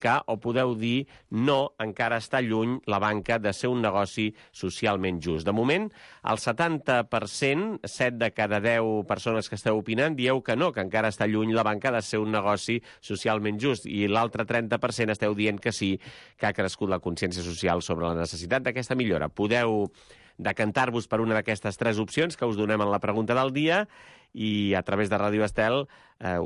que, o podeu dir, no, encara està lluny la banca de ser un negoci socialment just. De moment, el 70%, 7 de cada 10 persones que esteu opinant, dieu que no, que encara està lluny la banca de ser un negoci socialment just, i l'altre 30% esteu dient que sí, que ha crescut la consciència social sobre la necessitat d'aquesta millora. Podeu decantar-vos per una d'aquestes 3 opcions que us donem en la pregunta del dia, i a través de Ràdio Estel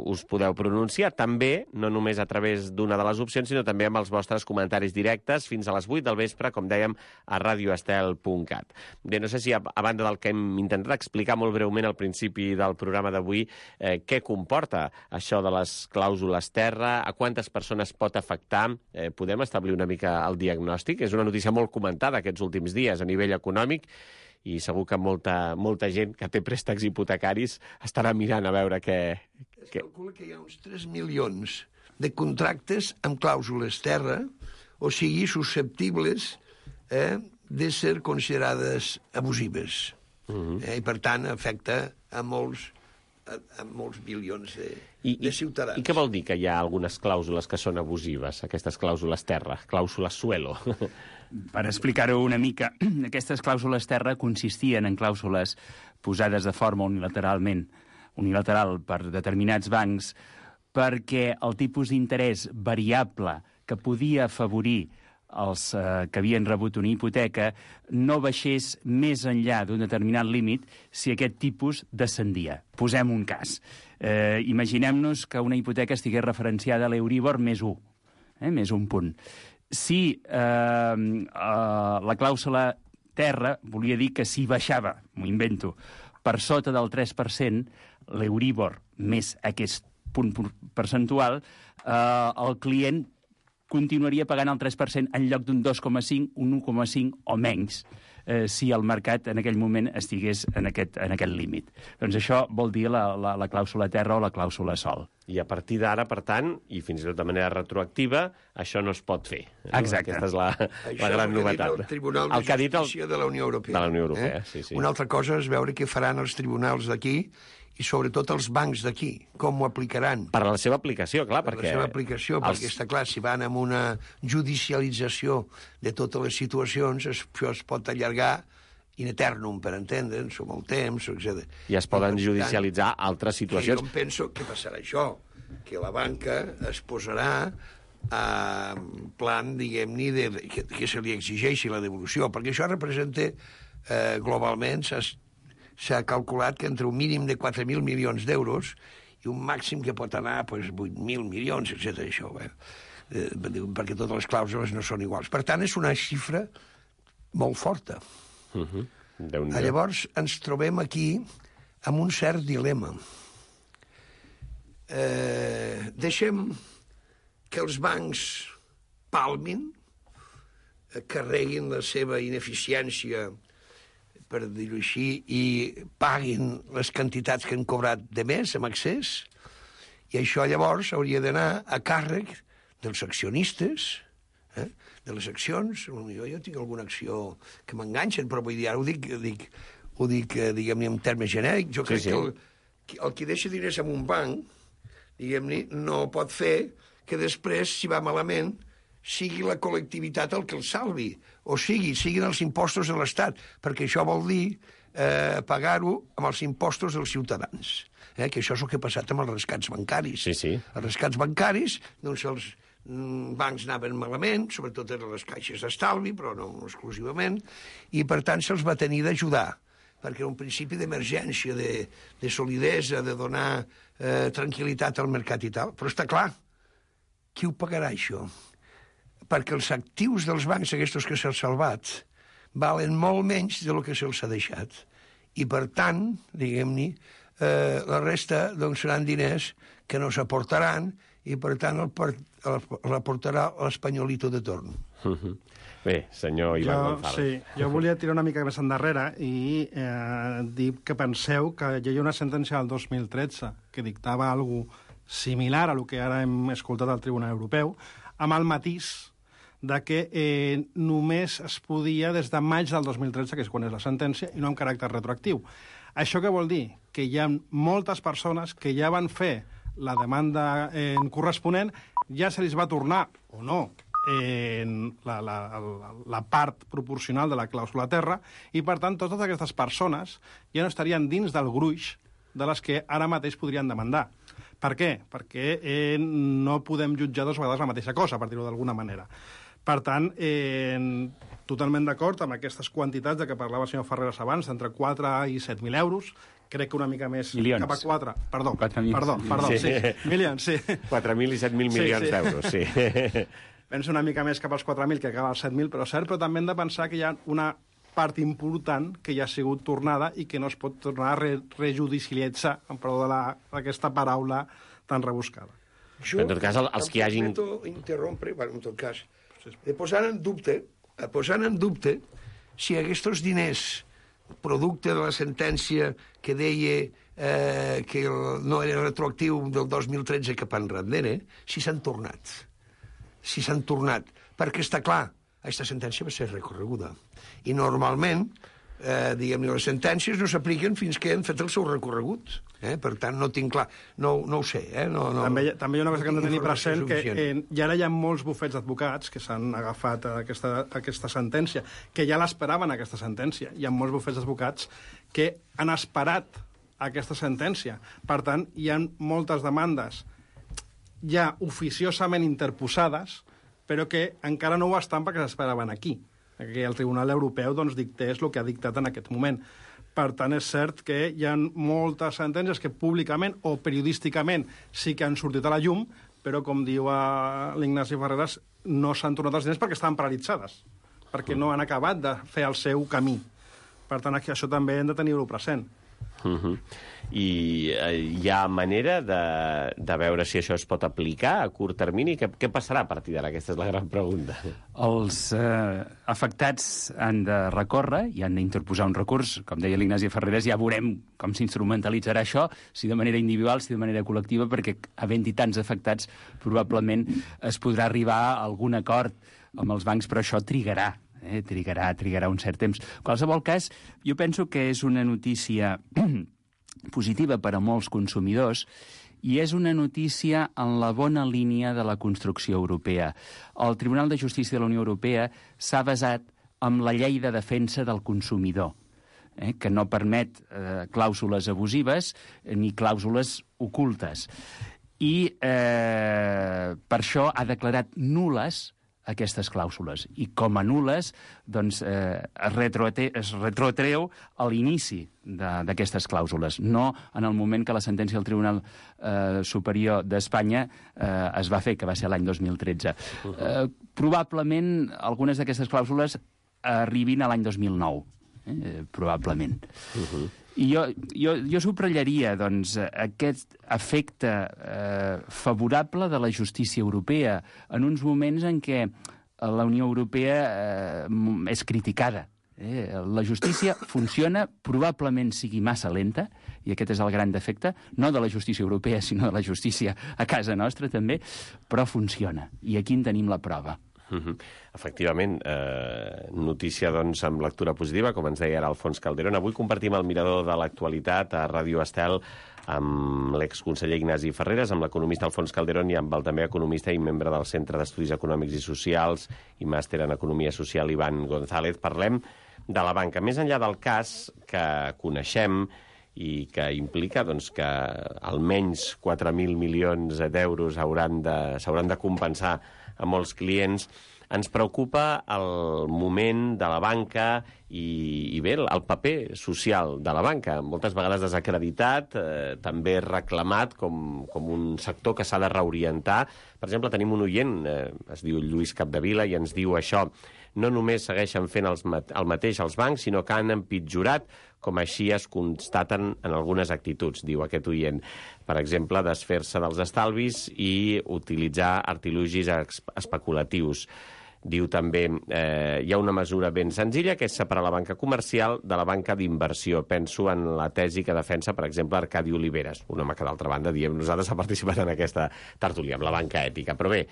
us podeu pronunciar. També, no només a través d'una de les opcions, sinó també amb els vostres comentaris directes fins a les 8 del vespre, com dèiem, a radioestel.cat. Bé, no sé si, a banda del que hem intentat explicar molt breument al principi del programa d'avui, què comporta això de les clàusules terra, a quantes persones pot afectar, podem establir una mica el diagnòstic? És una notícia molt comentada aquests últims dies a nivell econòmic, i segur que molta gent que té préstecs hipotecaris estarà mirant a veure què... Es calcula que hi ha uns 3 milions de contractes amb clàusules terra, o sigui, susceptibles de ser considerades abusives. I, per tant, afecta a molts milions de ciutadans. I què vol dir que hi ha algunes clàusules que són abusives, aquestes clàusules terra, clàusules suelo? Per explicar-ho una mica, aquestes clàusules terra consistien en clàusules posades de forma unilateral per determinats bancs, perquè el tipus d'interès variable que podia afavorir els que havien rebut una hipoteca no baixés més enllà d'un determinat límit si aquest tipus descendia. Posem un cas. Imaginem-nos que una hipoteca estigués referenciada a l'Euríbor més 1, més un punt. Si la clàusula terra volia dir que si baixava, m'ho invento, per sota del 3%, l'Euríbor més aquest punt percentual, el client continuaria pagant el 3% en lloc d'un 2,5, un 1,5 o menys, si el mercat en aquell moment estigués en aquest límit. Doncs això vol dir la clàusula terra o la clàusula sol. I a partir d'ara, per tant, i fins i tot de manera retroactiva, això no es pot fer. Exacte. Aquesta és la gran novetat. Això és el Tribunal de Justícia de la Unió Europea. De la Unió Europea, sí. Una altra cosa és veure què faran els tribunals d'aquí i sobretot els bancs d'aquí, com ho aplicaran. Per a la seva aplicació, clar, perquè... Per la seva aplicació, perquè està clar, si van amb una judicialització de totes les situacions, això es pot allargar in eternum, per entendre'ns, o molt temps, etc. I es poden judicialitzar altres situacions. Jo penso que passarà això, que la banca es posarà en plan, diguem-ne, que se li exigeixi la devolució, perquè això representa, globalment, s'ha calculat que entre un mínim de 4.000 milions d'euros i un màxim que pot anar a 8.000 milions, etc. Això, perquè totes les clàusules no són iguals. Per tant, és una xifra molt forta. Llavors, ens trobem aquí amb un cert dilema. Deixem que els bancs palmin, carreguin la seva ineficiència, per dir-ho així, i paguin les quantitats que han cobrat de més amb accés, i això llavors hauria d'anar a càrrec dels accionistes, de les accions. Jo tinc alguna acció que m'enganxen, però vull dir, ara ho dic diguem-ne, en termes genèrics. Jo crec que el que deixa diners en un banc, diguem-ne, no pot fer que després, si va malament, sigui la col·lectivitat el que el salvi, o siguin els impostos de l'Estat, perquè això vol dir pagar-ho amb els impostos dels ciutadans. Que això és el que ha passat amb els rescats bancaris. Sí. Els rescats bancaris, doncs els bancs anaven malament, sobretot eren les caixes d'estalvi, però no exclusivament, i per tant se'ls va tenir d'ajudar, perquè era un principi d'emergència, de solidesa, de donar tranquil·litat al mercat i tal. Però està clar, qui ho pagarà, això? Perquè els actius dels bancs, aquests que s'han salvat, valen molt menys del que se'ls ha deixat. I, per tant, diguem-ne, la resta doncs, seran diners que no s'aportaran i, per tant, l'aportarà l'espanyolito de torn. Bé, senyor Ivan González. Sí, jo volia tirar una mica més endarrere i dir que penseu que hi ha una sentència del 2013 que dictava alguna similar a el que ara hem escoltat al Tribunal Europeu, amb el matís de que només es podia des de maig del 2013, que és quan és la sentència, i no amb caràcter retroactiu. Això què vol dir? Que hi ha moltes persones que ja van fer la demanda corresponent ja se li va tornar, o no, en la part proporcional de la clàusula terra, i, per tant, totes aquestes persones ja no estarien dins del gruix de les que ara mateix podrien demandar. Per què? Perquè no podem jutjar dues vegades la mateixa cosa, per dir-ho d'alguna manera. Per tant, totalment d'acord amb aquestes quantitats de què parlava el senyor Ferreras abans, entre 4 i 7.000 euros, crec que una mica més milions. Cap a 4. Perdó, 4.000. sí. Milions, sí. 4.000 i 7.000 milions d'euros, sí. Penso una mica més cap als 4.000 que cap als 7.000, però cert, però també hem de pensar que hi ha una part important que ja ha sigut tornada i que no es pot tornar a rejudicialitzar, en perdó d'aquesta paraula tan rebuscada. En tot cas, els que hi hagin... Em permeto interrompre, en tot cas, posant en dubte si aquests diners, producte de la sentència que deia que no era retroactiu del 2013 cap enrere, si s'han tornat. Perquè està clar, aquesta sentència va ser recorreguda. I normalment, diguem-ne, les sentències no s'apliquen fins que han fet el seu recorregut. Per tant, no tinc clar. No ho sé. També hi ha una cosa que hem de tenir present, que ja ara hi ha molts bufets d'advocats que s'han agafat aquesta sentència, que ja l'esperaven, aquesta sentència. Hi ha molts bufets d'advocats que han esperat aquesta sentència. Per tant, hi ha moltes demandes ja oficiosament interposades, però que encara no ho estan perquè s'esperaven aquí, que el Tribunal Europeu dictés el que ha dictat en aquest moment. Per tant, és cert que hi ha moltes sentències que públicament o periodísticament sí que han sortit a la llum, però, com diu l'Ignasi Ferreras, no s'han tornat els diners perquè estaven paralitzades, perquè no han acabat de fer el seu camí. Per tant, això també hem de tenir-ho present. I hi ha manera de veure si això es pot aplicar a curt termini? Què passarà a partir d'ara? Aquesta és la gran pregunta. Els afectats han de recórrer i han d'interposar un recurs. Com deia l'Ignasi Ferreras, ja veurem com s'instrumentalitzarà això, si de manera individual, si de manera col·lectiva, perquè havent-hi tants afectats probablement es podrà arribar a algun acord amb els bancs, però això trigarà. Trigarà un cert temps. En qualsevol cas, jo penso que és una notícia positiva per a molts consumidors i és una notícia en la bona línia de la construcció europea. El Tribunal de Justícia de la Unió Europea s'ha basat en la llei de defensa del consumidor, que no permet clàusules abusives ni clàusules ocultes. I per això ha declarat nul·les aquestes clàusules. I com a nul·les, doncs, es retrotreu a l'inici d'aquestes clàusules, no en el moment que la sentència del Tribunal Superior d'Espanya es va fer, que va ser l'any 2013. Probablement algunes d'aquestes clàusules arribin a l'any 2009, probablement. I jo subratllaria doncs, aquest efecte favorable de la justícia europea en uns moments en què la Unió Europea és criticada. La justícia funciona, probablement sigui massa lenta, i aquest és el gran defecte, no de la justícia europea, sinó de la justícia a casa nostra també, però funciona. I aquí en tenim la prova. Efectivament, notícia doncs amb lectura positiva, com ens deia ara Alfons Calderón. Avui compartim el mirador de l'actualitat a Ràdio Estel amb l'exconseller Ignasi Ferreras, amb l'economista Alfons Calderón i amb el també economista i membre del Centre d'Estudis Econòmics i Socials i màster en Economia Social, Ivan González. Parlem de la banca. Més enllà del cas que coneixem i que implica doncs, que almenys 4.000 milions d'euros s'hauran de compensar a molts clients, ens preocupa el moment de la banca i bé, el paper social de la banca, moltes vegades desacreditat, també reclamat com un sector que s'ha de reorientar. Per exemple, tenim un oient, es diu Lluís Capdevila, i ens diu això: no només segueixen fent el mateix els bancs, sinó que han empitjorat, com així es constaten en algunes actituds, diu aquest oient. Per exemple, desfer-se dels estalvis i utilitzar artilugis especulatius. Diu també, hi ha una mesura ben senzilla, que és separar la banca comercial de la banca d'inversió. Penso en la tesi que defensa, per exemple, Arcadi Oliveres, un home que, d'altra banda, diem, nosaltres ha participat en aquesta tertúlia, amb la banca ètica. Però bé,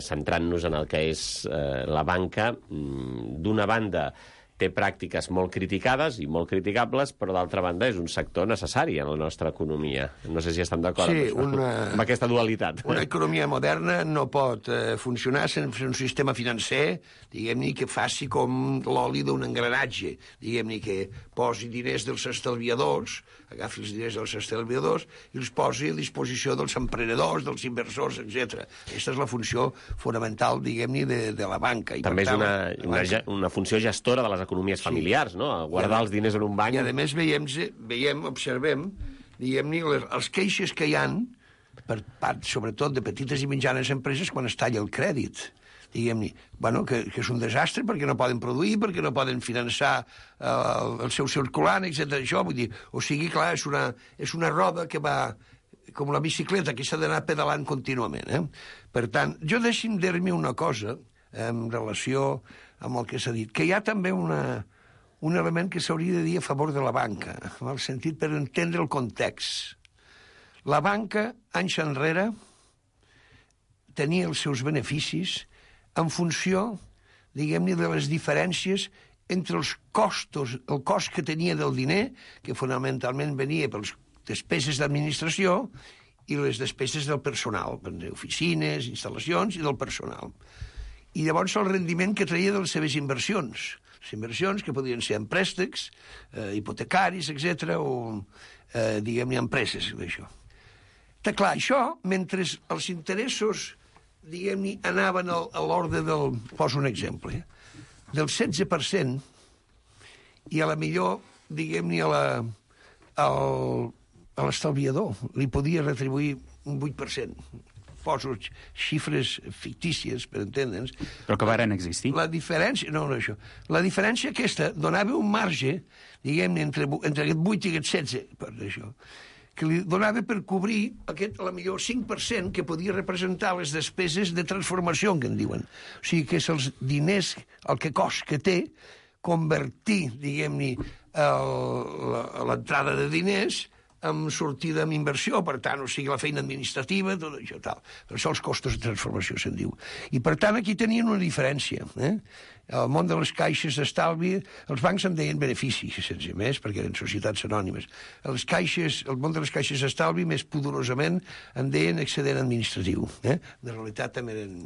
centrant-nos en el que és la banca, d'una banda, té pràctiques molt criticades i molt criticables, però d'altra banda és un sector necessari en la nostra economia. No sé si estem d'acord amb aquesta dualitat. Una economia moderna no pot funcionar sense un sistema financer, diguem-ne, que faci com l'oli d'un engranatge, diguem-ne, que posi diners dels estalviadors, agafi els diners dels estalviadors i els posi a disposició dels emprenedors, dels inversors, etc. Aquesta és la funció fonamental, diguem-ne, de la banca. I també és una funció gestora de les economies familiars, no? Guardar els diners en un banc. I, a més, observem, diguem-ne, els queixes que hi ha, per part, sobretot, de petites i mitjanes empreses, quan es talla el crèdit. Diguem-ne, que és un desastre perquè no poden produir, perquè no poden finançar el seu circulant, etc. Això, vull dir, o sigui, clar, és una roda que va com la bicicleta, que s'ha d'anar pedalant contínuament. Per tant, jo deixi'm dir-me una cosa en relació amb el que s'ha dit, que hi ha també un element que s'hauria de dir a favor de la banca, en el sentit per entendre el context. La banca, anys enrere, tenia els seus beneficis en funció, diguem-ne, de les diferències entre els costos, el cost que tenia del diner, que fonamentalment venia per les despeses d'administració, i les despeses del personal, d'oficines, instal·lacions i del personal. I llavors el rendiment que traia de les seves inversions. Les inversions que podien ser en préstecs, hipotecaris, etc., o, diguem-ne, empreses, d'això. Clar, això, mentre els interessos, diguem-ne, anaven a l'ordre del... Poso un exemple, del 16%, i a la millor, diguem-ne, a l'estalviador li podia retribuir un 8%. Poso xifres fictícies, per entendre'ns. Però que varen existir. La diferència... No, això. La diferència aquesta donava un marge, diguem-ne, entre aquest 8 i aquest 16, per això, que li donava per cobrir aquest, a la millor, 5% que podia representar les despeses de transformació, que en diuen. O sigui, que és els diners, el que cost que té, convertir, diguem-ne, l'entrada de diners amb sortida amb inversió, per tant, o sigui, la feina administrativa, tot això, tal. Per això els costos de transformació se'n diu. I, per tant, aquí tenien una diferència. El món de les caixes d'estalvi, els bancs en deien beneficis, sense més, perquè eren societats anònimes. El món de les caixes d'estalvi, més pudorosament, en deien excedent administratiu. De realitat també eren,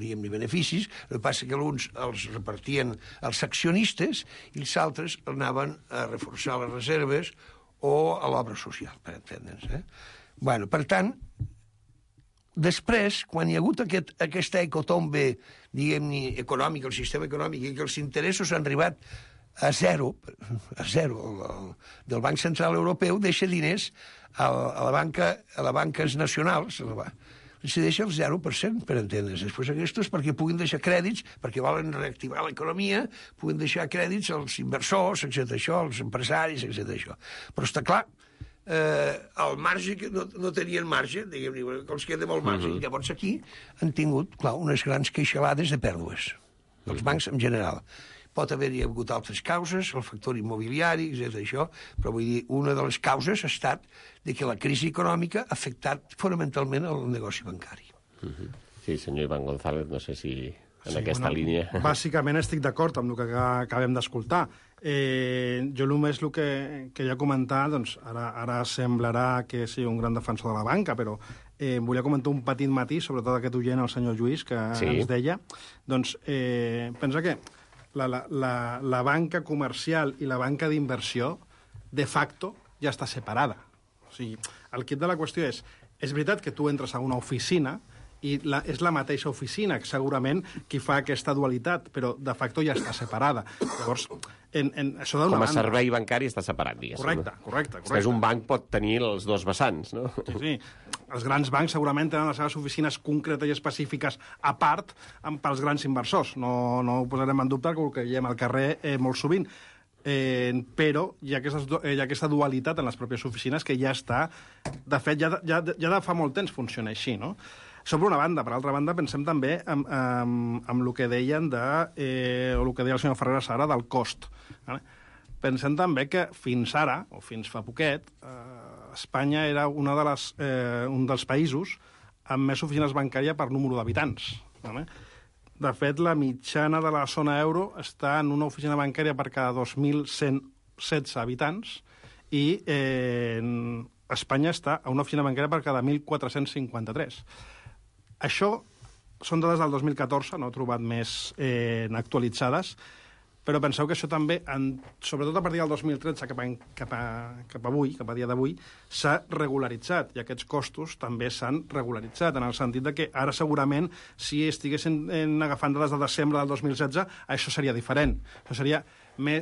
diguem-ne, beneficis, el que passa que alguns els repartien els accionistes i els altres anaven a reforçar les reserves o a l'obra social, per entendre'ns. Per tant, després, quan hi ha hagut aquesta hecatombe, diguem-ne, econòmica, el sistema econòmic, i que els interessos han arribat a zero del Banc Central Europeu, deixa diners a les banques nacionals, se deixa el 0%, per entendre's. Després aquests, perquè puguin deixar crèdits, perquè volen reactivar l'economia, puguin deixar crèdits als inversors, etc., això, als empresaris, etc., això. Però està clar, el marge, que no tenien marge, diguem-ne, que els queda molt marge. I llavors aquí han tingut, clar, unes grans queixalades de pèrdues, els bancs en general. Pot haver-hi hagut altres causes, el factor immobiliari, etc., això, però vull dir, una de les causes ha estat de que la crisi econòmica ha afectat fonamentalment el negoci bancari. Sí, senyor Iván González, no sé si en aquesta línia... Bàsicament estic d'acord amb el que acabem d'escoltar. Jo només el que ja comentar, doncs, ara semblarà que sigui un gran defensor de la banca, però volia comentar un petit matís, sobretot aquest oient, el senyor Lluís, que ens deia, doncs, pensa que la banca comercial i la banca d'inversió, de facto, ja està separada. O sigui, el quid de la qüestió és veritat que tu entres a una oficina i és la mateixa oficina, segurament, qui fa aquesta dualitat, però de facto ja està separada. Llavors, això d'una banda... Com a servei bancari està separat, diguéssim. Correcte. Després un banc pot tenir els dos vessants, no? Sí. Els grans bancs segurament tenen les seves oficines concretes i específiques a part pels grans inversors. No ho posarem en dubte, que ho veiem al carrer molt sovint. Però hi ha aquesta dualitat en les pròpies oficines que ja està... De fet, ja de fa molt temps funciona així, no? Això per una banda. Per altra banda, pensem també amb el que deien o el que deia el senyor Ferreras ara del cost. Pensem també que fins ara, o fins fa poquet, Espanya era un dels països amb més oficines bancàries per número d'habitants. De fet, la mitjana de la zona euro està en una oficina bancària per cada 2.116 habitants i Espanya està a una oficina bancària per cada 1.453. Això són dades del 2014, no he trobat més actualitzades, però penseu que això també, sobretot a partir del 2013 cap a dia d'avui, s'ha regularitzat, i aquests costos també s'han regularitzat, en el sentit de que ara segurament, si estiguessin agafant dades de desembre del 2016, això seria diferent. Això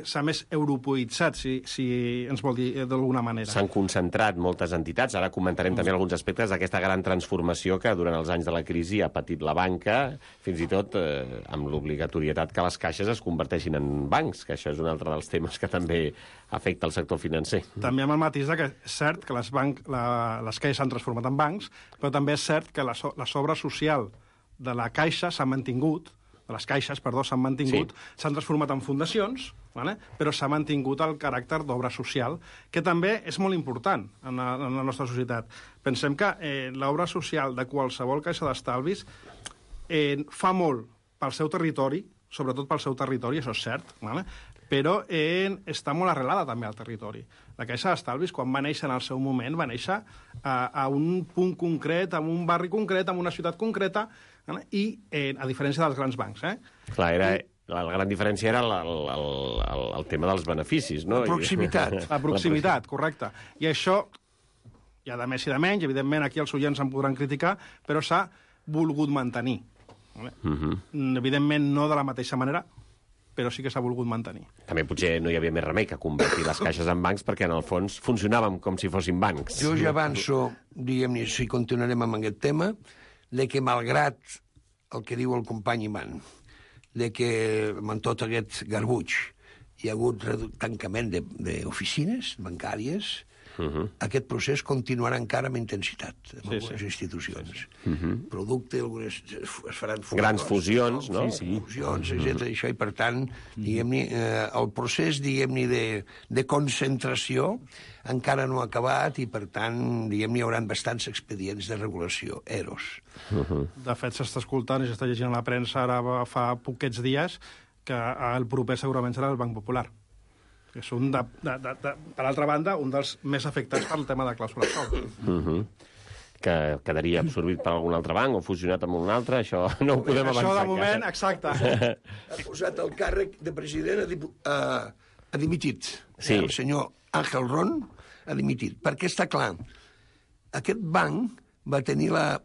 s'ha més europoïtzat, si ens vol dir d'alguna manera. S'han concentrat moltes entitats. Ara comentarem també alguns aspectes d'aquesta gran transformació que durant els anys de la crisi ha patit la banca, fins i tot amb l'obligatorietat que les caixes es converteixin en bancs, que això és un altre dels temes que també afecta el sector financer. També amb el matís que és cert que les caixes s'han transformat en bancs, però també és cert que la sobra social de la caixa s'ha mantingut, de les caixes, perdó, s'han mantingut, s'han transformat en fundacions, però s'ha mantingut el caràcter d'obra social, que també és molt important en la nostra societat. Pensem que l'obra social de qualsevol caixa d'estalvis fa molt pel seu territori, sobretot pel seu territori, això és cert, però està molt arrelada també al territori. La Caixa d'Estalvis, quan va néixer en el seu moment, va néixer a un punt concret, en un barri concret, en una ciutat concreta, i a diferència dels grans bancs. Clar, la gran diferència era el tema dels beneficis, no? La proximitat. La proximitat, correcte. I això, hi ha de més i de menys, evidentment aquí els oients em podran criticar, però s'ha volgut mantenir. Evidentment no de la mateixa manera, però sí que s'ha volgut mantenir. També potser no hi havia més remei que convertir les caixes en bancs perquè en el fons funcionàvem com si fossin bancs. Jo ja avanço, diguem-ne, si continuarem amb aquest tema, de que malgrat el que diu el company Iman, de que amb tot aquest garbuix hi ha hagut tancament d'oficines bancàries, aquest procés continuarà encara amb intensitat en algunes institucions. Producte, algunes es faran grans fusions, no? Fusions, etc. Això, i per tant, diguem-ne, el procés, diguem-ne, de concentració encara no ha acabat i, per tant, diguem-ne, hi haurà bastants expedients de regulació, EROs. De fet, s'està escoltant i s'està llegint a la premsa ara fa poquets dies que el proper segurament serà el Banc Popular. Que són, per altra banda, un dels més afectats pel tema de clàusula sòl. Que quedaria absorbit per algun altre banc o fusionat amb un altre, això no ho podem avançar. Això, de moment, exacte. Ha posat el càrrec de president, ha dimitit. Sí. El senyor Ángel Ron ha dimitit. Perquè està clar, aquest banc va tenir la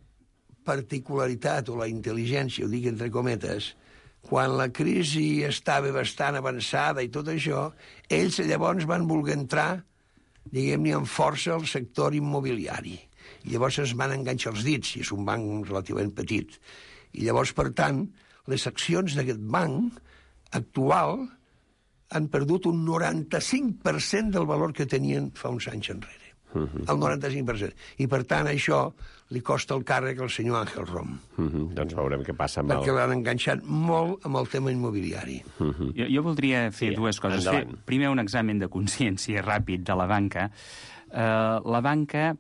particularitat o la intel·ligència, ho dic entre cometes, quan la crisi estava bastant avançada i tot això, ells llavors van voler entrar, diguem-ne, amb força al sector immobiliari. I llavors es van enganxar els dits, i és un banc relativament petit. I llavors, per tant, les accions d'aquest banc actual han perdut un 95% del valor que tenien fa uns anys enrere. El 95%. I, per tant, això li costa el càrrec al senyor Ángel Rom. Doncs veurem què passa amb perquè l'han enganxat molt amb el tema immobiliari. Jo voldria fer dues coses. Primer, un examen de consciència ràpid de la banca. La banca,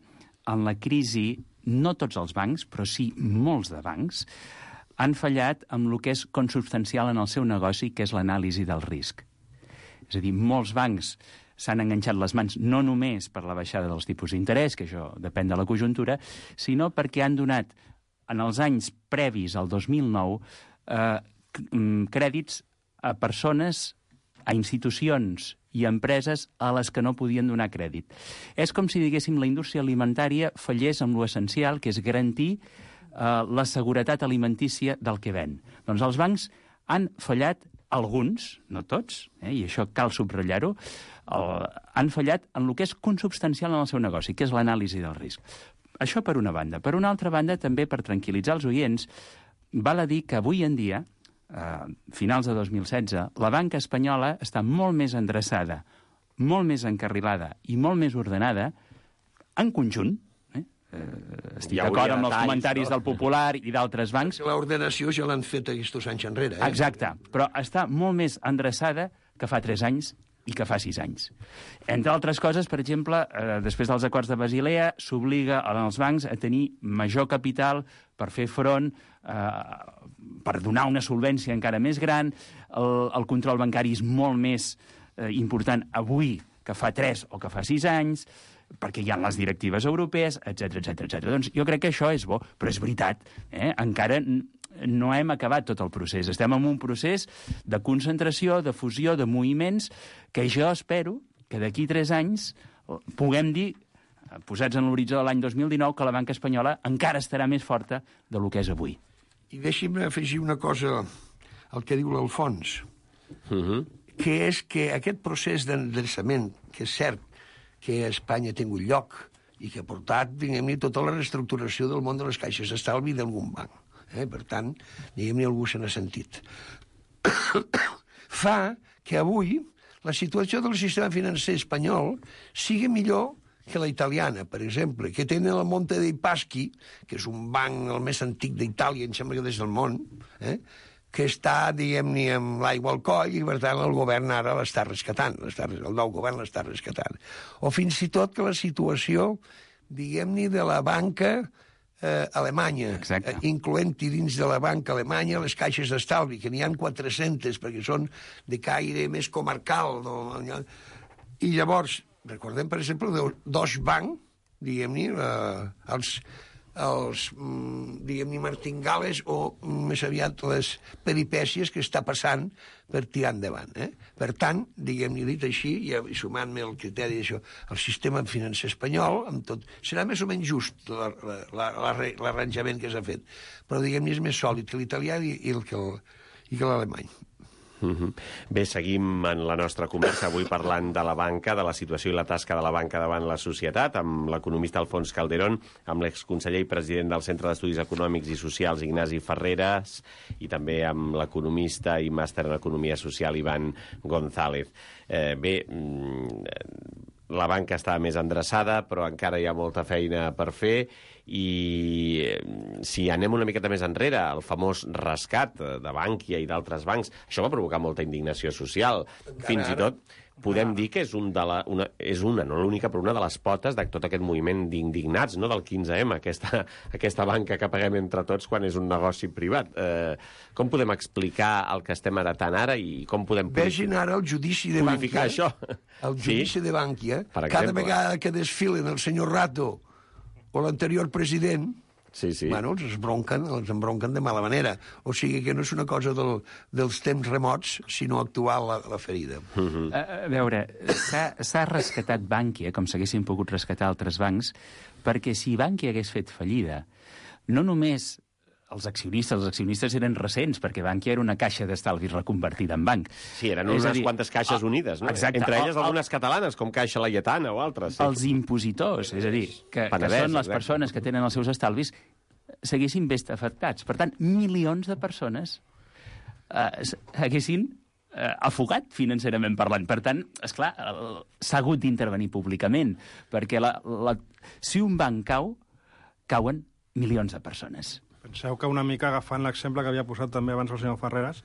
en la crisi, no tots els bancs, però sí molts de bancs, han fallat amb el que és consubstancial en el seu negoci, que és l'anàlisi del risc. És a dir, molts bancs s'han enganxat les mans no només per la baixada dels tipus d'interès, que això depèn de la conjuntura, sinó perquè han donat, en els anys previs al 2009, crèdits a persones, a institucions i a empreses a les que no podien donar crèdit. És com si, diguéssim, la indústria alimentària fallés amb l'essencial, que és garantir la seguretat alimentícia del que ven. Doncs els bancs han fallat, alguns, no tots, i això cal subratllar-ho, han fallat en el que és consubstancial en el seu negoci, que és l'anàlisi del risc. Això per una banda. Per una altra banda, també per tranquil·litzar els oients, val a dir que avui en dia, finals de 2016, la banca espanyola està molt més endreçada, molt més encarrilada i molt més ordenada en conjunt. Estic d'acord amb els comentaris del Popular i d'altres bancs. L'ordenació ja l'han fet aquests anys enrere. Exacte, però està molt més endreçada que fa 3 anys i que fa 6 anys. Entre altres coses, per exemple, després dels acords de Basilea, s'obliga als bancs a tenir major capital per fer front, per donar una solvència encara més gran. El control bancari és molt més important avui que fa 3 o que fa 6 anys, perquè hi ha les directives europees, etc. Doncs jo crec que això és bo, però és veritat, encara no hem acabat tot el procés. Estem en un procés de concentració, de fusió, de moviments, que jo espero que d'aquí 3 anys puguem dir, posats en l'horitzó de l'any 2019, que la banca espanyola encara estarà més forta del que és avui. I deixi'm afegir una cosa al que diu l'Alfons, que és que aquest procés d'endreçament, que és cert que a Espanya ha tingut lloc i que ha portat, diguem-ne, tota la reestructuració del món de les caixes d'estalvi d'algun banc. Per tant, diguem-ne, algú se n'ha sentit. Fa que avui la situació del sistema financer espanyol sigui millor que la italiana, per exemple, que tenen el Monte dei Paschi, que és un banc el més antic d'Itàlia, em sembla que des del món, que està, diguem-ne, amb l'aigua al coll i, per tant, el govern ara l'està rescatant, el nou govern l'està rescatant. O fins i tot que la situació, diguem-ne, de la banca Alemanya, incloent-hi dins de la banca alemanya les caixes d'estalvi, que n'hi ha 400, perquè són de caire més comarcal. I llavors, recordem, per exemple, Deutsche Bank, diguem-ne, els diguem-ne, martingales o més aviat les peripècies que està passant per tirar endavant. Per tant, diguem-ne, dit així, i sumant-me el criteri d'això, el sistema financer espanyol, amb tot, serà més o menys just l'arranjament que s'ha fet, però, diguem-ne, és més sòlid que l'italià i que l'alemany. Bé, seguim en la nostra conversa avui parlant de la banca, de la situació i la tasca de la banca davant la societat, amb l'economista Alfons Calderón, amb l'exconseller i president del Centre d'Estudis Econòmics i Socials, Ignasi Ferreras, i també amb l'economista i màster en Economia Social, Ivan González. Bé, la banca està més endreçada, però encara hi ha molta feina per fer, i si anem una miqueta més enrere, el famós rescat de Bankia i d'altres bancs, això va provocar molta indignació social. Fins i tot podem dir que és una, no l'única, però una de les potes de tot aquest moviment d'indignats, no, del 15M, aquesta banca que paguem entre tots quan és un negoci privat. Com podem explicar el que estem heretant ara i com podem Vegin ara el judici de Bankia. Això. El judici de Bankia. Cada vegada que desfilen el senyor Rato o l'anterior president, bueno, els embronquen de mala manera. O sigui que no és una cosa dels temps remots, sinó actual la ferida. A veure, s'ha rescatat Bankia, com s'haguessin pogut rescatar altres bancs, perquè si Bankia hagués fet fallida, no només els accionistes eren recents, perquè Bankia era una caixa d'estalvis reconvertida en banc. Sí, eren unes quantes caixes unides, no? Exacte. Entre elles algunes catalanes, com Caixa Laietana o altres. Sí. Els impositors, és a dir, que són les persones que tenen els seus estalvis, s'haguessin vist afectats. Per tant, milions de persones haguessin afogat financerament parlant. Per tant, esclar, s'ha hagut d'intervenir públicament, perquè si un banc cau, cauen milions de persones. Penseu que una mica agafant l'exemple que havia posat també abans el senyor Ferreras,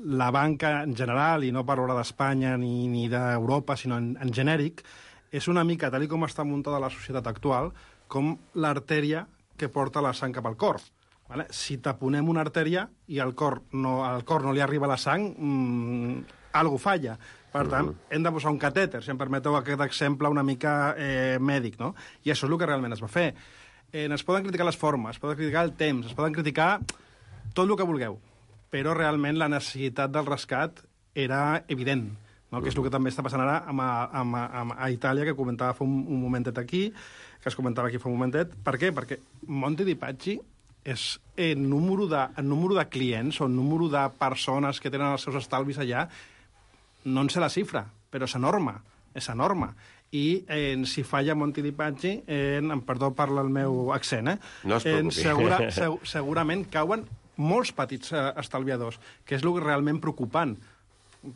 la banca en general, i no parlo d'Espanya ni d'Europa, sinó en genèric, és una mica, tal com està muntada la societat actual, com l'artèria que porta la sang cap al cor. Vale? Si taponem una artèria i al cor no li arriba la sang, algo falla. Per tant, hem de posar un catèter, si em permeteu aquest exemple una mica mèdic, no? I això és el que realment es va fer. Es poden criticar les formes, es poden criticar el temps, es poden criticar tot el que vulgueu, però realment la necessitat del rescat era evident, no? Que és el que també està passant ara a Itàlia, que comentava fa un momentet aquí, que es comentava aquí fa un momentet. Per què? Perquè Monte dei Paschi és el número de clients o el número de persones que tenen els seus estalvis allà, no en sé la xifra, però és enorme, i si falla Monte dei Paschi, perdó per el meu accent, no es preocupi. segurament cauen molts petits estalviadors, que és el realment preocupant,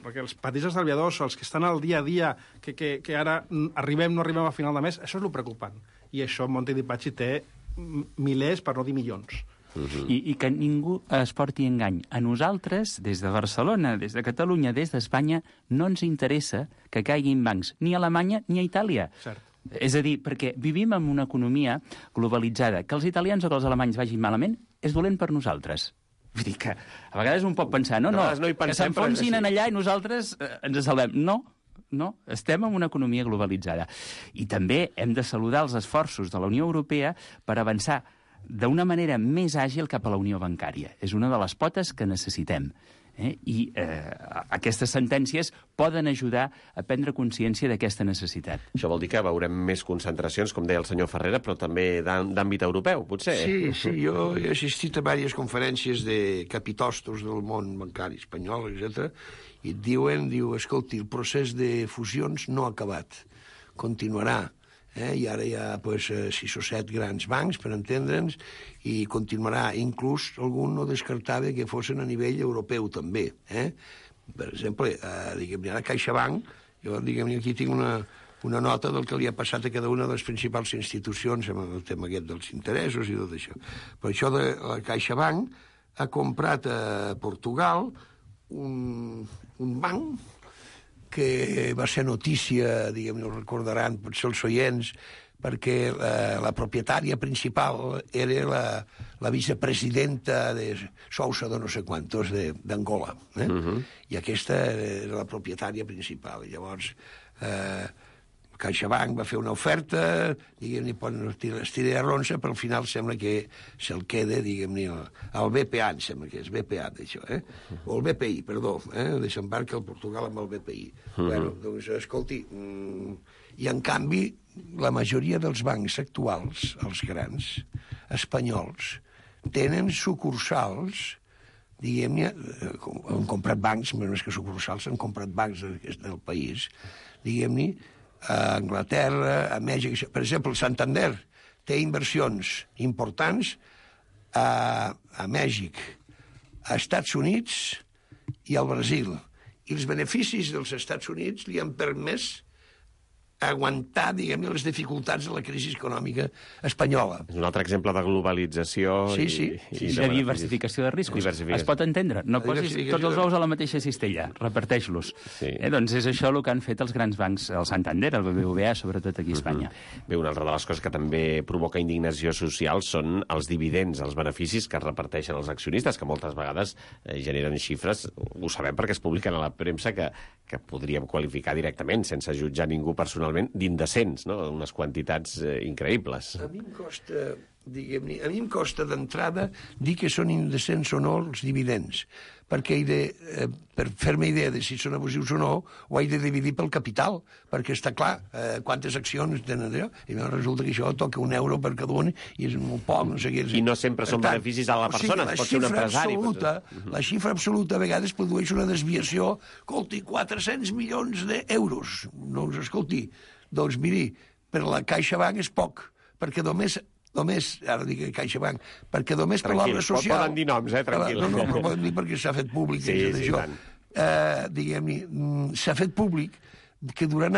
perquè els petits estalviadors, els que estan al dia a dia, que ara no arribem a final de mes, això és el preocupant. I això Monte dei Paschi té milers, per no dir milions. I que ningú es porti engany. A nosaltres, des de Barcelona, des de Catalunya, des d'Espanya, no ens interessa que caiguin bancs ni a Alemanya ni a Itàlia. Cert. És a dir, perquè vivim en una economia globalitzada. Que els italians o que els alemanys vagin malament és dolent per nosaltres. Vull dir que a vegades un pot pensar, no, que s'enfonsin allà i nosaltres ens salvem. No, estem en una economia globalitzada. I també hem de saludar els esforços de la Unió Europea per avançar d'una manera més àgil cap a la unió bancària. És una de les potes que necessitem. I aquestes sentències poden ajudar a prendre consciència d'aquesta necessitat. Això vol dir que veurem més concentracions, com deia el senyor Ferrera, però també d'àmbit europeu, potser? Sí, jo he assistit a diverses conferències de capitostos del món bancari espanyol, etc. I et diu, escolti, el procés de fusions no ha acabat, continuarà. I ara hi ha 6 o 7 grans bancs, per entendre'ns, i continuarà. Inclús algun no descartava que fossin a nivell europeu, també. Per exemple, diguem-ne, ara CaixaBank, jo, diguem-ne, aquí tinc una nota del que li ha passat a cada una de les principals institucions amb el tema aquest dels interessos i tot això. Per això de la CaixaBank ha comprat a Portugal un banc que va ser notícia, diguem-ne, ho recordaran potser els oients, perquè la propietària principal era la vicepresidenta de Sousa de no sé quantos d'Angola. I aquesta era la propietària principal. I llavors CaixaBank va fer una oferta, diguem-ne, estira de ronça, però al final sembla que se'l queda, diguem-ne, el BPA, em sembla que és BPA, d'això, o el BPI, perdó, desembarca el Portugal amb el BPI. Bueno, doncs, escolti, i en canvi, la majoria dels bancs actuals, els grans, espanyols, tenen sucursals, diguem-ne, han comprat bancs, més que sucursals, han comprat bancs del país, diguem-ne, a Anglaterra, a Mèxic. Per exemple, el Santander té inversions importants a Mèxic, a Estats Units i al Brasil. I els beneficis dels Estats Units li han permès aguantar, diguem-ne, les dificultats de la crisi econòmica espanyola. És un altre exemple de globalització i de diversificació de riscos. Es pot entendre. No posis tots els ous a la mateixa cistella, reparteix-los. Doncs és això el que han fet els grans bancs, el Santander, el BBVA, sobretot aquí a Espanya. Bé, una altra de les coses que també provoca indignació social són els dividends, els beneficis que es reparteixen els accionistes, que moltes vegades generen xifres, ho sabem perquè es publiquen a la premsa, que podríem qualificar directament, sense jutjar ningú personalment, d'indecents, no? Unes quantitats increïbles. A mi em costa, diguem-ne, d'entrada dir que són indecents o no els dividends, perquè per fer-me idea de si són abusius o no, ho he de dividir pel capital, perquè està clar quantes accions tenen allò, i resulta que això toca €1 per cada un, i és molt poc, no sé què. I no sempre són beneficis a la persona, pot ser un empresari. La xifra absoluta a vegades produeix una desviació, escolti, 400 milions d'euros. Doncs, escolti, doncs miri, per la CaixaBank és poc, perquè només, ara dic CaixaBank, perquè només per l'obra social... Poden dir noms, tranquil. No, però poden dir perquè s'ha fet públic. Sí, tant. Diguem-ne, s'ha fet públic que durant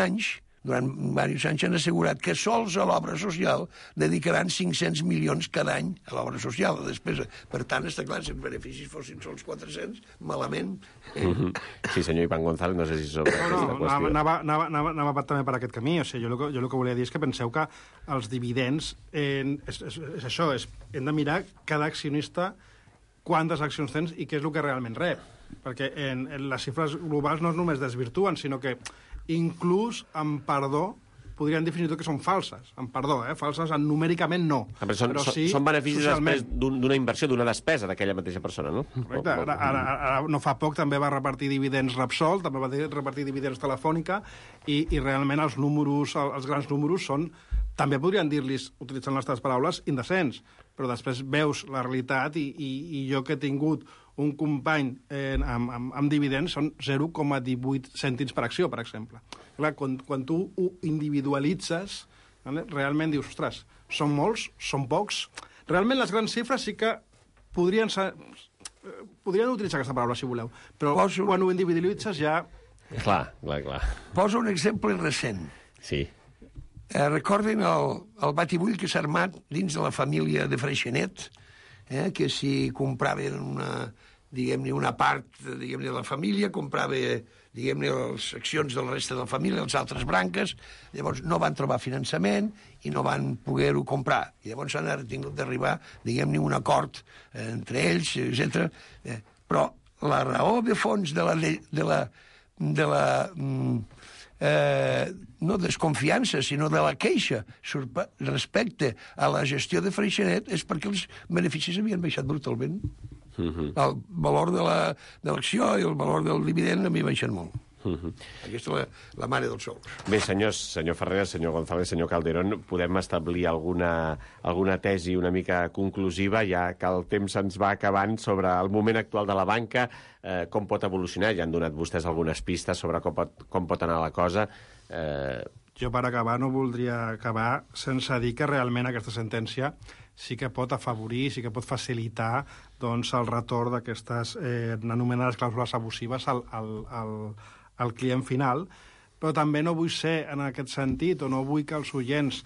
diversos anys han assegurat que sols a l'obra social dedicaran 500 milions cada any a l'obra social, a despesa. Per tant, està clar, si els beneficis fossin sols 400, malament. Sí, senyor Iván González, no sé si sobre aquesta qüestió. Anava també per aquest camí. O sigui, jo el que volia dir és que penseu que els dividends, és això, hem de mirar cada accionista quantes accions tens i què és el que realment rep. Perquè les xifres globals no només desvirtuen, sinó que inclús, amb perdó, podrien definir que són falses. Amb perdó, falses numèricament no. Però són beneficis després d'una inversió, d'una despesa d'aquella mateixa persona, no? Correcte. Ara, no fa poc també va repartir dividends Repsol, també va repartir dividends Telefònica, i realment els grans números són, també podrien dir-los, utilitzant les teves paraules, indecents. Però després veus la realitat i jo que he tingut un company amb dividends són 0,18 cèntims per acció, per exemple. Clar, quan tu ho individualitzes, realment dius, ostres, són molts, són pocs. Realment les grans xifres sí que podrien utilitzar aquesta paraula, si voleu, però quan ho individualitzes ja... Clar. Poso un exemple recent. Sí. Recorden el batibull que s'ha armat dins de la família de Freixenet, que si compraven una part, de la família, comprava, les accions de la resta de la família, les altres branques, llavors no van trobar finançament i no van poder-ho comprar. I llavors han tingut d'arribar, un acord entre ells, etc. Però la raó de fons de la no desconfiança, sinó de la queixa respecte a la gestió de Freixenet és perquè els beneficis havien baixat brutalment. El valor de l'acció i el valor del dividend havia baixat molt. Aquesta és la mare dels sous. Bé, senyor Ferreras, senyor González, senyor Calderón, podem establir alguna tesi una mica conclusiva, ja que el temps se'ns va acabant, sobre el moment actual de la banca, com pot evolucionar. Ja han donat vostès algunes pistes sobre com pot anar la cosa. Jo, per acabar, no voldria acabar sense dir que realment aquesta sentència sí que pot afavorir, sí que pot facilitar el retorn d'aquestes anomenades clàusules abusives al client final, però també no vull ser en aquest sentit, o no vull que els oients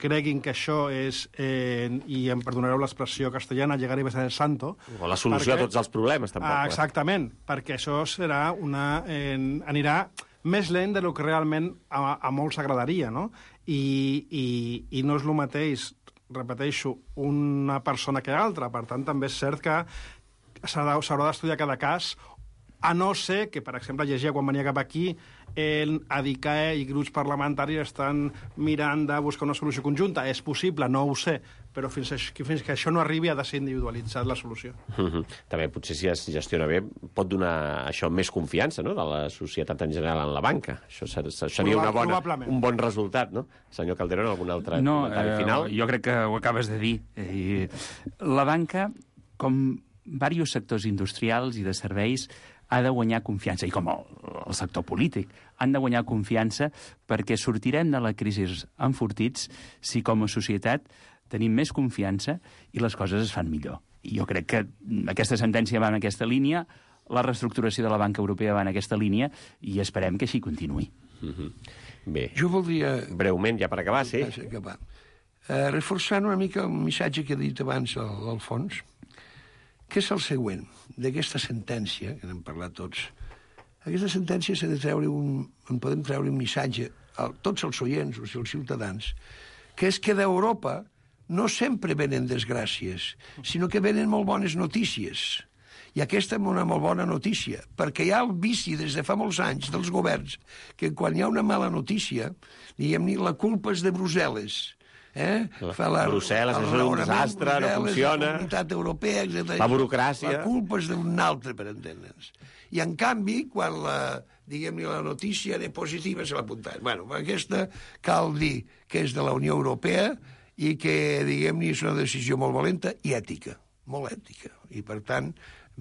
creguin que això és, i em perdonareu l'expressió castellana, llegar i besar el santo. O la solució a tots els problemes, tampoc. Exactament, perquè això serà anirà més lent del que realment a molts agradaria, no? I no és el mateix, repeteixo, una persona que altra. Per tant, també és cert que s'haurà d'estudiar cada cas, a no ser que, per exemple, llegia quan venia cap aquí, el ADICAE i grups parlamentaris estan mirant de buscar una solució conjunta. És possible, no ho sé, però fins que això no arribi ha de ser individualitzat la solució. També potser si es gestiona bé pot donar això més confiança, no?, de la societat en general en la banca. Això seria un bon resultat, no? Senyor Calderón, algun altre comentari final? Jo crec que ho acabes de dir. La banca, com diversos sectors industrials i de serveis, ha de guanyar confiança, i com el sector polític, han de guanyar confiança perquè sortirem de la crisi enfortits si com a societat tenim més confiança i les coses es fan millor. I jo crec que aquesta sentència va en aquesta línia, la reestructuració de la banca europea va en aquesta línia, i esperem que així continuï. Bé, jo voldria... Breument, ja per acabar, sí? Reforçant una mica el missatge que he dit abans al fons, que és el següent, d'aquesta sentència, que n'hem parlat tots. Aquesta sentència s'ha de treure en podem treure un missatge a tots els oients, o els ciutadans, que és que d'Europa no sempre venen desgràcies, sinó que venen molt bones notícies. I aquesta és una molt bona notícia, perquè hi ha el vici des de fa molts anys dels governs, que quan hi ha una mala notícia, diguem-ne, la culpa és de Brussel·les. Brussel·les és un desastre, no funciona. La Comunitat Europea, etc. La burocràcia. La culpa és d'un altre, per entendre'ns. I, en canvi, quan la notícia era positiva, se l'apuntaven. Bueno, aquesta cal dir que és de la Unió Europea i que, diguem-ne, és una decisió molt valenta i ètica, molt ètica. I, per tant,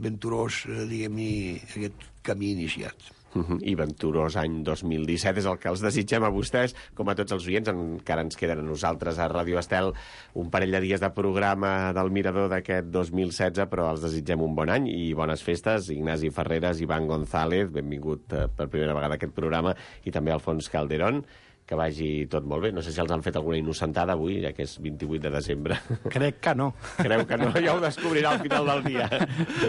venturós, diguem-ne, aquest camí iniciat. I venturós any 2017 és el que els desitgem a vostès, com a tots els oients. Encara ens queden a nosaltres a Ràdio Estel un parell de dies de programa del Mirador d'aquest 2016, però els desitgem un bon any i bones festes. Ignasi Ferreras, Iván González, benvingut per primera vegada a aquest programa, i també Alfons Calderón. Que vagi tot molt bé. No sé si els han fet alguna innocentada avui, ja que és 28 de desembre. Crec que no. Creu que no? Ja ho descobrirà al final del dia.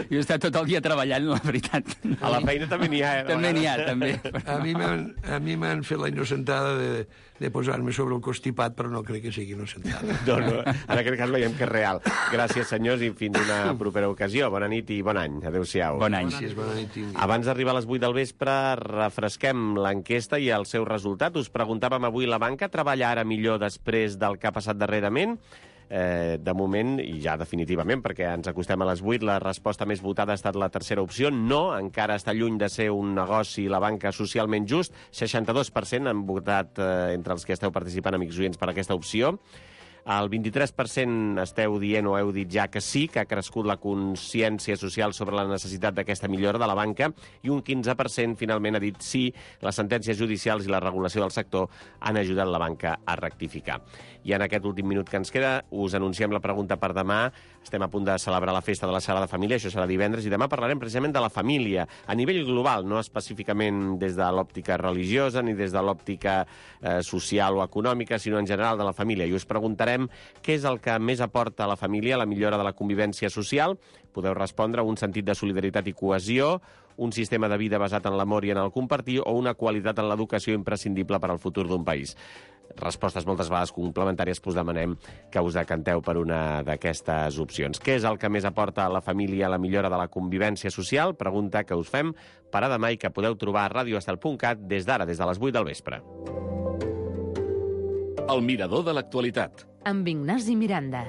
Jo he estat tot el dia treballant, la veritat. A la feina també n'hi ha, També n'hi ha, també. A mi m'han fet la innocentada de posar-me sobre el constipat, però no crec que sigui innocentada. No, en aquest cas veiem que és real. Gràcies, senyors, i fins una propera ocasió. Bona nit i bon any. Adéu-siau. Bon any. Gràcies, bona nit. Abans d'arribar a les 8 del vespre, refresquem l'enquesta i el seu resultat. Us preguntàvem avui, la banca treballa ara millor després del que ha passat darrerament? De moment, i ja definitivament, perquè ens acostem a les 8, la resposta més votada ha estat la tercera opció. No, encara està lluny de ser un negoci la banca socialment just. 62% han votat entre els que esteu participant, amics oients, per aquesta opció. El 23% esteu dient o heu dit ja que sí, que ha crescut la consciència social sobre la necessitat d'aquesta millora de la banca, i un 15% finalment ha dit sí, les sentències judicials i la regulació del sector han ajudat la banca a rectificar. I en aquest últim minut que ens queda us anunciem la pregunta per demà. Estem a punt de celebrar la festa de la Sagrada Família, això serà divendres, i demà parlarem precisament de la família, a nivell global, no específicament des de l'òptica religiosa ni des de l'òptica social o econòmica, sinó en general de la família. I us preguntarem què és el que més aporta a la família la millora de la convivència social. Podeu respondre un sentit de solidaritat i cohesió, un sistema de vida basat en l'amor i en el compartir o una qualitat en l'educació imprescindible per al futur d'un país. Respostes moltes vegades complementàries, us demanem que us decanteu per una d'aquestes opcions. Què és el que més aporta a la família a la millora de la convivència social? Pregunta que us fem per a demà i que podeu trobar a radioestel.cat des d'ara, des de les 8 del vespre. El mirador de l'actualitat. Amb Ignasi Miranda.